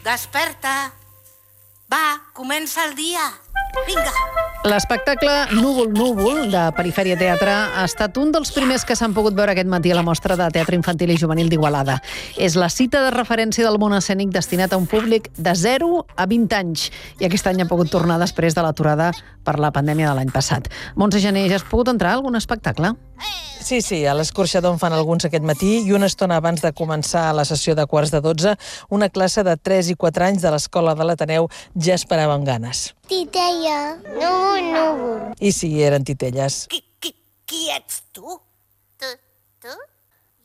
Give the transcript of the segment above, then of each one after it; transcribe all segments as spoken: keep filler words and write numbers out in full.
Desperta. Va, comença el dia. Vinga. L'espectacle Núvol Núvol, de Perifèria Teatre, ha estat un dels primers que s'han pogut veure aquest matí a la Mostra de Teatre Infantil i Juvenil d'Igualada. És la cita de referència del món escènic destinat a un públic de zero a vint anys. I aquest any ha pogut tornar després de l'aturada per la pandèmia de l'any passat. Montse Gené, ja has pogut entrar a algun espectacle? Sí, sí, a l'Escorxador en fan alguns aquest matí i una estona abans de començar la sessió de quarts de dotze, una classe de tres i quatre anys de l'Escola de l'Ateneu ja esperava amb ganes. Titella, núvol, núvol. I sí, eren titelles. Qui, qui, qui ets tu? Tu, tu?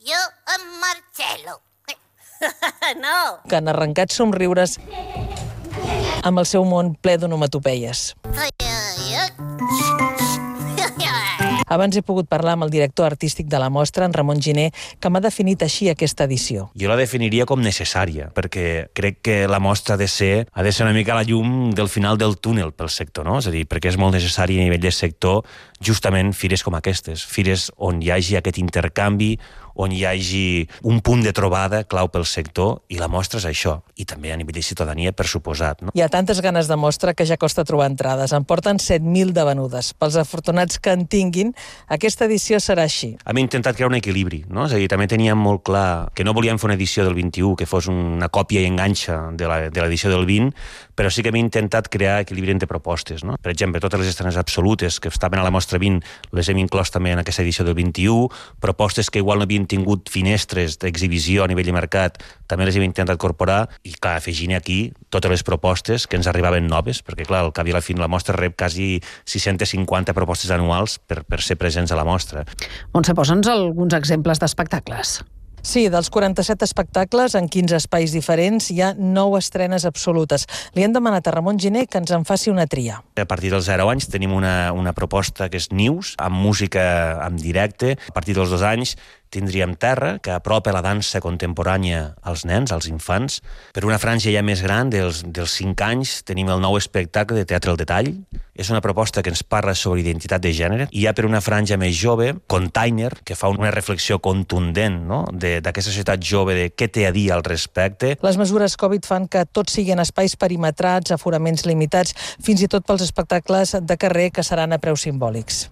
Jo, en Marcelo. No. Que han arrencat somriures amb el seu món ple d'onomatopeies. Abans he pogut parlar amb el director artístic de la mostra, en Ramon Giner, que m'ha definit així aquesta edició. Jo la definiria com necessària, perquè crec que la mostra ha de ser, ha de ser una mica la llum del final del túnel pel sector, no? És a dir, perquè és molt necessari a nivell de sector justament fires com aquestes, fires on hi hagi aquest intercanvi, on hi hagi un punt de trobada clau pel sector, i la mostra és això. I també a nivell de ciutadania, per suposat. No? Hi ha tantes ganes de mostra que ja costa trobar entrades. En porten set mil de venudes. Pels afortunats que en tinguin, aquesta edició serà així. Hem intentat crear un equilibri, no? És a dir, també teníem molt clar que no volíem fer una edició del vint-i-u que fos una còpia i enganxa de l'edició del vint, però sí que hem intentat crear equilibri entre propostes. No? Per exemple, totes les estrenes absolutes que estaven a la mostra vint les hem inclòs també en aquesta edició del vint-i-u, propostes que igual no havien tingut finestres d'exhibició a nivell de mercat, també les hem intentat incorporar, i clar, afegint aquí totes les propostes que ens arribaven noves, perquè clar, al cap i a la fi la mostra rep quasi sis-centes cinquanta propostes anuals per, per ser presents a la mostra. Montse, posa'ns alguns exemples d'espectacles. Sí, dels quaranta-set espectacles en quinze espais diferents hi ha nou estrenes absolutes. Li hem demanat a Ramon Giner que ens en faci una tria. A partir dels zero anys tenim una, una proposta que és News, amb música en directe. A partir dels dos anys tindríem Terra, que apropa la dansa contemporània als nens, als infants. Per una franja ja més gran, dels, dels cinc anys, tenim el nou espectacle de Teatre al Detall. És una proposta que ens parla sobre identitat de gènere. I hi ha per una franja més jove, Container, que fa una reflexió contundent, no?, d'aquesta societat jove, de què té a dir al respecte. Les mesures Covid fan que tots siguin espais perimetrats, aforaments limitats, fins i tot pels espectacles de carrer que seran a preus simbòlics.